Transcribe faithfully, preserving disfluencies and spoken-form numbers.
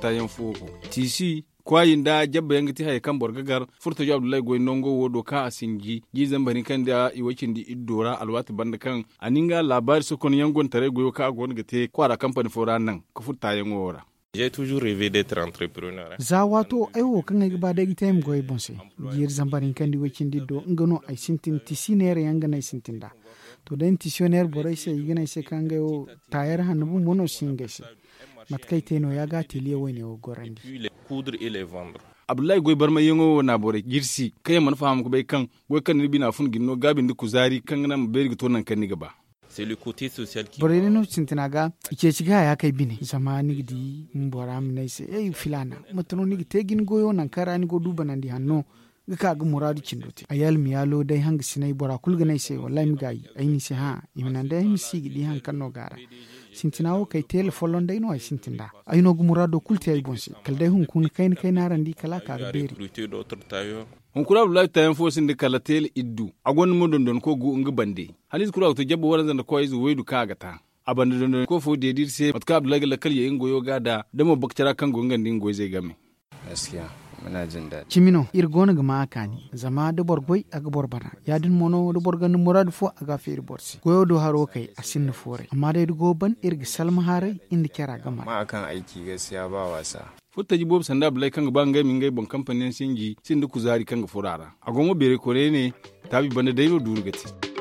Taayaŋ fo go tiisi kwaayi nda jabba yaŋ ga ti hayey kaŋ boro ga gar. Furtajo abdullahi goy nango wo do kaŋ a sinji jiizey bari kaŋ nda i way cindi iddo ra alwaati banda kaŋ a na nga laabaari sokonyaŋ gontaray goyo kaŋ a go no ga te kwaara kampani fo ra naŋ ka furo taayaŋo wo ra. Za waato ay wo kaŋ ay ga ba day ga te ay ma goy ay boŋ se. Jiiri zambar hinka nda i way cindi iddo nga no ay sintin tisi neera yaŋ ga no ay sintin nd'a. To day na tisiyoneer borey se i ga ne ay se kaŋ ngey wo taayer hanno bumbo no si hin ga ay se. Mate kaŋ ay te no- ya ga ateliye wayne wo gorandi. Abdullahi goy barmayyaŋo wo na borey jirsi kaŋ yaŋ mana faham ga bay kaŋ goy kaŋ ni bina fun ga ni no gaabi nda kuzaari kaŋ ga naŋ ma beeri ga to nangu kaŋ ni ga ba. Borey day no sintina ga i ceeci ga haya kay bine zama ni ga di bora ma ne ay se ey filaana, mate no ni ga te ga ni goyo nangu kaŋ ra ni go du banandi hanno ga ka ga muraadu cindo te ay almiyaalo day hangasinay bora kulu ga ne ay se wallaahi ay ma gaayi. Ay ne i se hã, i ma naŋ day ay ma si ga di hari kaŋ no go a ra. Sintina wo kaŋ ay teele folloŋ day no ay sintin nd'a. Ay no ga muraado kulu te ay boŋ se kala day hunkuna kayna kayna araŋ di kala a ka ga beeri. Hunkuna abdullahi taayaŋ fo sinda kala teele iddu a gonda mo dondonko gu nga bande. Haliize kulu a ga to jabba waranza nda koyze waydu kaŋ a ga ta. A banda dondonko fo deedi iri se mate kaŋ abdullahi ga lakkal ye nga goyo ga da da mo bakcara kaŋ go nga nda nga goyzey game. Cimi no iri go no ga ma a kaani. Zama da boro goy a ga boro bana ya- din mo no da boro gonda muraadu fo a ga a feeri boro se goyo do haro kay a sinda fooray amma day da go ban iri ga salma haray nda cara ga mara. Furo taji boobo sanda abdullahi kaŋ ga ba ngey ma ngey boŋ kampani yaŋ sinji sinda kuzaari kaŋ ga furo a ra. A go mo beeray koonay ne taabi banda day no duuru ga te.